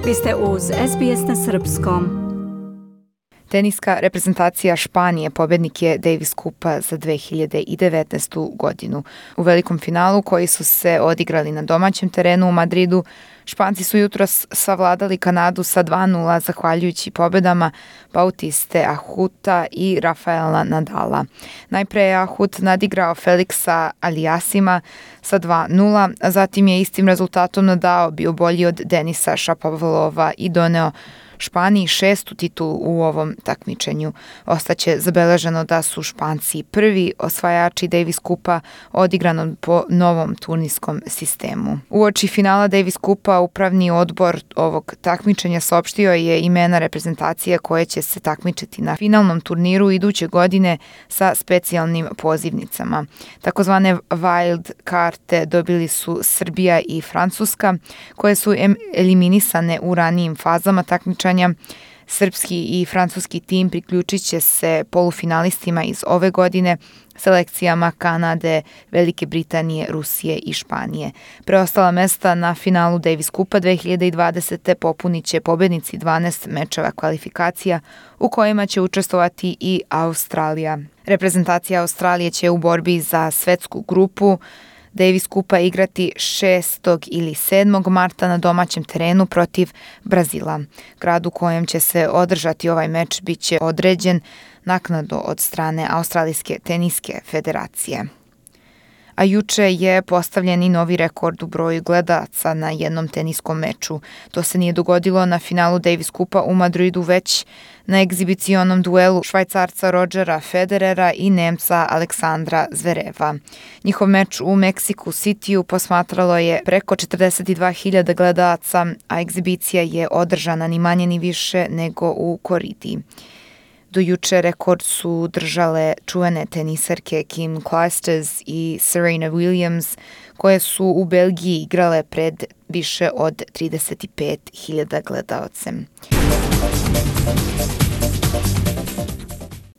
Vi ste uz SBS na srpskom. Teniska reprezentacija Španije pobednik je Davis Kupa za 2019. godinu. U velikom finalu koji su se odigrali na domaćem terenu u Madridu, Španci su jutros savladali Kanadu sa 2:0 zahvaljujući pobedama Bautiste Ahuta i Rafaela Nadala. Najpre je Ahut nadigrao Felixa Aliassima sa 2:0, a zatim je istim rezultatom Nadal bio bolji od Denisa Shapovalova i doneo Španiji 6. titulu u ovom takmičenju. Ostaće zabeleženo da su Španci prvi osvajači Davis Kupa odigranom po novom turnirskom sistemu. Uoči finala Davis Kupa upravni odbor ovog takmičenja saopštio je imena reprezentacije koje će se takmičiti na finalnom turniru iduće godine sa specijalnim pozivnicama. Takozvane wild karte dobili su Srbija i Francuska, koje su eliminisane u ranijim fazama takmičenja. Srpski i francuski tim priključit će se polufinalistima iz ove godine, selekcijama Kanade, Velike Britanije, Rusije i Španije. Preostala mesta na finalu Davis Kupa 2020. popunit će pobednici 12 mečeva kvalifikacija u kojima će učestvovati i Australija. Reprezentacija Australije će u borbi za svetsku grupu Davis Kupa igrati 6. ili 7. marta na domaćem terenu protiv Brazila. Grad u kojem će se održati ovaj meč bit će određen naknadno od strane Australijske teniske federacije. A juče je postavljen i novi rekord u broju gledalaca na jednom teniskom meču. To se nije dogodilo na finalu Davis Kupa u Madridu, već na egzibicionom duelu Švajcarca Rodgera Federera i Nemca Aleksandra Zvereva. Njihov meč u Mexico Cityu posmatralo je preko 42.000 gledalaca, a egzibicija je održana ni manje ni više nego u Koridi. Do juče rekord su držale čuvene tenisarke Kim Clijsters i Serena Williams, koje su u Belgiji igrale pred više od 35.000 gledalaca.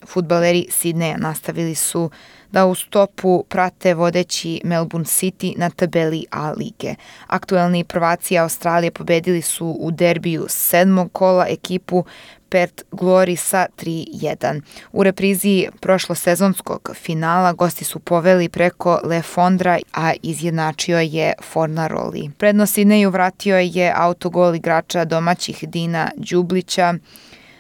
Fudbaleri Sidneja nastavili su da u stopu prate vodeći Melbourne City na tabeli A lige. Aktuelni prvaci Australije pobedili su u derbiju 7. kola ekipu Perth Glory sa 3:1. U reprizi prošlosezonskog finala gosti su poveli preko Le Fondra, a izjednačio je Fornaroli. Prednost Sidneju vratio je autogol igrača domaćih Dina Đublića,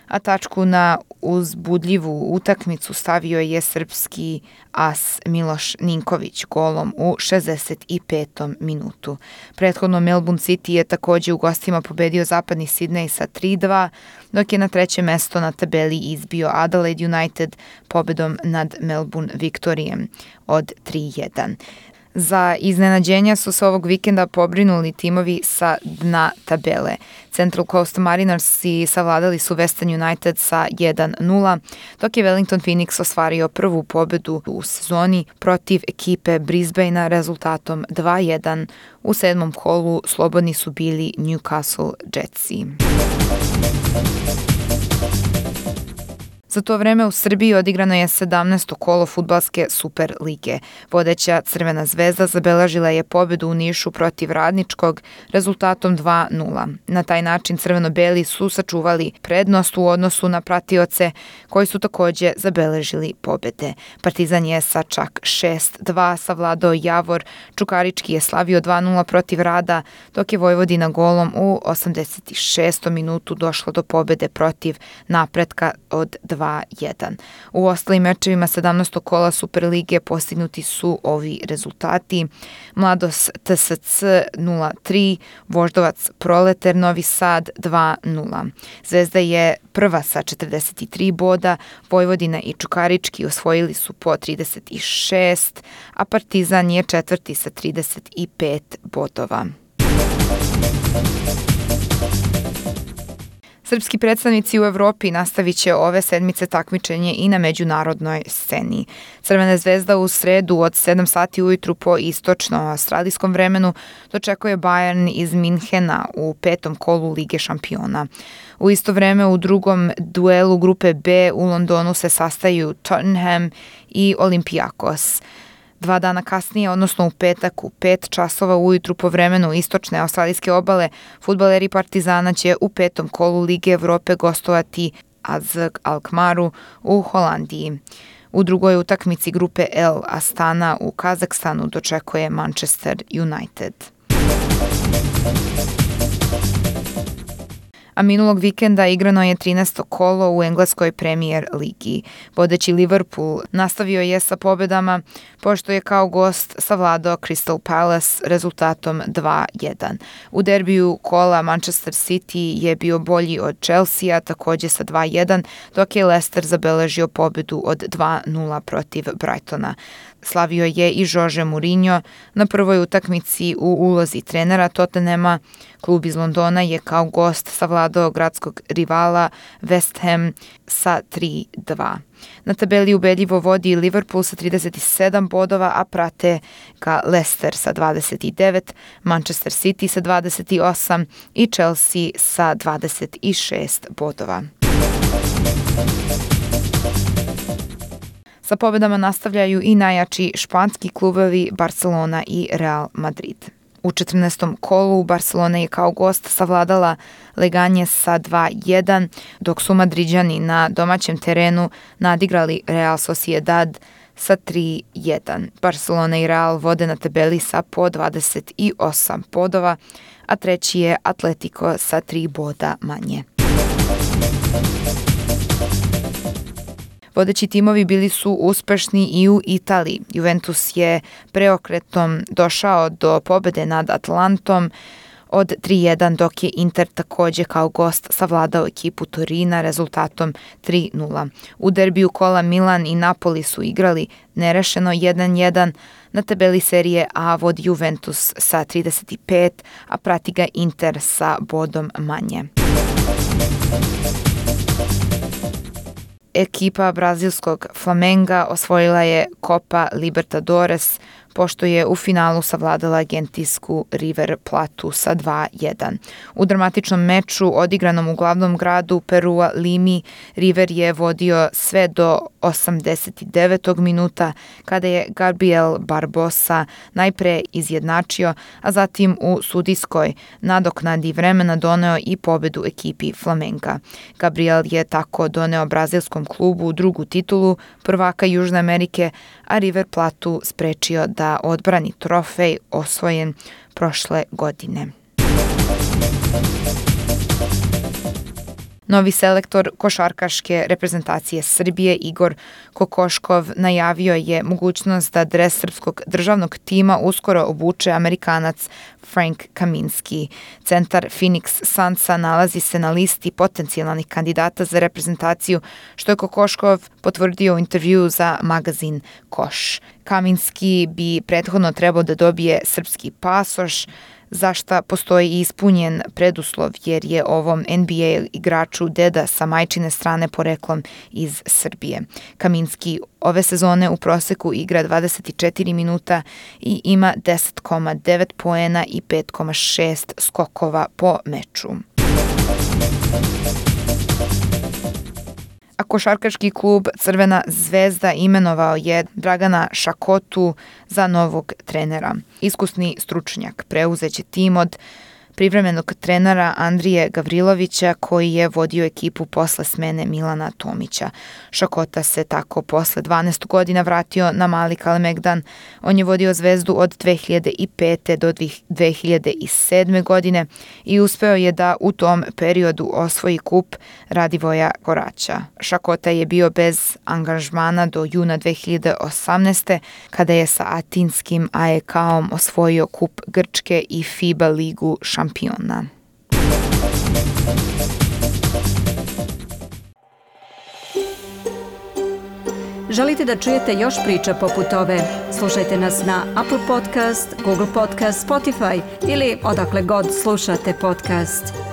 a tačku na uzbudljivu utakmicu stavio je srpski as Miloš Ninković golom u 65. minutu. Prethodno Melbourne City je takođe u gostima pobedio zapadni Sidnej sa 3:2, dok je na treće mesto na tabeli izbio Adelaide United pobedom nad Melbourne Victorijem od 3:1. Za iznenađenja su se ovog vikenda pobrinuli timovi sa dna tabele. Central Coast Marinersi savladali su Western United sa 1:0, dok je Wellington Phoenix ostvario prvu pobedu u sezoni protiv ekipe Brisbanea rezultatom 2:1. U 7. kolu slobodni su bili Newcastle Jetsi. Za to vreme u Srbiji odigrano je 17. kolo fudbalske Super lige. Vodeća Crvena zvezda zabeležila je pobedu u Nišu protiv Radničkog rezultatom 2:0. Na taj način crveno-beli su sačuvali prednost u odnosu na pratioce koji su takođe zabeležili pobede. Partizan je sa čak 6:2 savladao Javor, Čukarički je slavio 2:0 protiv Rada, dok je Vojvodina golom u 86. minutu došla do pobede protiv Napretka od 2:1. U ostalim mečevima 17. kola Superlige postignuti su ovi rezultati: Mladost TSC 0:3, Voždovac Proleter Novi Sad 2:0. Zvezda je prva sa 43 boda, Vojvodina i Čukarički osvojili su po 36, a Partizan je četvrti sa 35 bodova. Srpski predstavnici u Evropi nastavit će ove sedmice takmičenje i na međunarodnoj sceni. Crvena zvezda u sredu od 7 sati ujutru po istočno-australijskom vremenu dočekuje Bayern iz Minhena u 5. kolu Lige šampiona. U isto vreme u drugom duelu grupe B u Londonu se sastaju Tottenham i Olympiakos. 2 dana kasnije, odnosno u petak u 5 časova ujutru po vremenu istočne australijske obale, fudbaleri Partizana će u 5. kolu Lige Evrope gostovati AZ Alkmaru u Holandiji. U drugoj utakmici grupe L Astana u Kazahstanu dočekuje Manchester United. A minulog vikenda igrano je 13. kolo u engleskoj Premier ligi. Vodeći Liverpool nastavio je sa pobedama, pošto je kao gost savladao Crystal Palace rezultatom 2-1. U derbiju kola Manchester City je bio bolji od Chelsea, takođe sa 2-1, dok je Leicester zabeležio pobedu od 2-0 protiv Brightona. Slavio je i Jose Mourinho na prvoj utakmici u ulozi trenera Tottenhama. Klub iz Londona je kao gost savladao gradskog rivala West Ham sa 3-2. Na tabeli ubedljivo vodi Liverpool sa 37 bodova, a prate ga Leicester sa 29, Manchester City sa 28 i Chelsea sa 26 bodova. Sa pobedama nastavljaju i najjači španski klubovi Barcelona i Real Madrid. U 14. kolu Barcelona je kao gost savladala Leganje sa 2-1, dok su Madriđani na domaćem terenu nadigrali Real Sociedad sa 3-1. Barcelona i Real vode na tabeli sa po 28 bodova, a treći je Atletico sa 3 boda manje. Vodeći timovi bili su uspešni i u Italiji. Juventus je preokretom došao do pobede nad Atlantom od 3-1, dok je Inter takođe kao gost savladao ekipu Torina rezultatom 3-0. U derbiju kola Milan i Napoli su igrali nerešeno 1-1. Na tabeli serije A vodi Juventus sa 35, a prati ga Inter sa bodom manje. Ekipa brazilskog Flamenga osvojila je Copa Libertadores, pošto je u finalu savladala argentinsku River Platu sa 2-1. U dramatičnom meču odigranom u glavnom gradu Perua Limi, River je vodio sve do 89. minuta, kada je Gabriel Barbosa najpre izjednačio, a zatim u sudijskoj nadoknadi vremena doneo i pobedu ekipi Flamenga. Gabriel je tako doneo brazilskom klubu drugu titulu prvaka Južne Amerike, a River Platu sprečio da odbrani trofej osvojen prošle godine. Novi selektor košarkaške reprezentacije Srbije Igor Kokoškov najavio je mogućnost da dres srpskog državnog tima uskoro obuče Amerikanac Frank Kaminski. Centar Phoenix Sunsa nalazi se na listi potencijalnih kandidata za reprezentaciju, što je Kokoškov potvrdio u intervjuu za magazin Koš. Kaminski bi prethodno trebao da dobije srpski pasoš, za šta postoji ispunjen preduslov, jer je ovom NBA igraču deda sa majčine strane poreklom iz Srbije. Kaminski ove sezone u proseku igra 24 minuta i ima 10,9 poena i 5,6 skokova po meču. A košarkaški klub Crvena zvezda imenovao je Dragana Šakotu za novog trenera. Iskusni stručnjak preuzeće tim od privremenog trenera Andrije Gavrilovića, koji je vodio ekipu posle smene Milana Tomića. Šakota se tako posle 12 godina vratio na Mali Kalemegdan. On je vodio Zvezdu od 2005. do 2007. godine i uspeo je da u tom periodu osvoji kup Radivoja Koraća. Šakota je bio bez angažmana do juna 2018. kada je sa atinskim AEK-om osvojio kup Grčke i FIBA ligu šampiona. Želite da čujete još priča poput ove? Slušajte nas na Apple Podcast, Google Podcast, Spotify ili odakle god slušate podcast.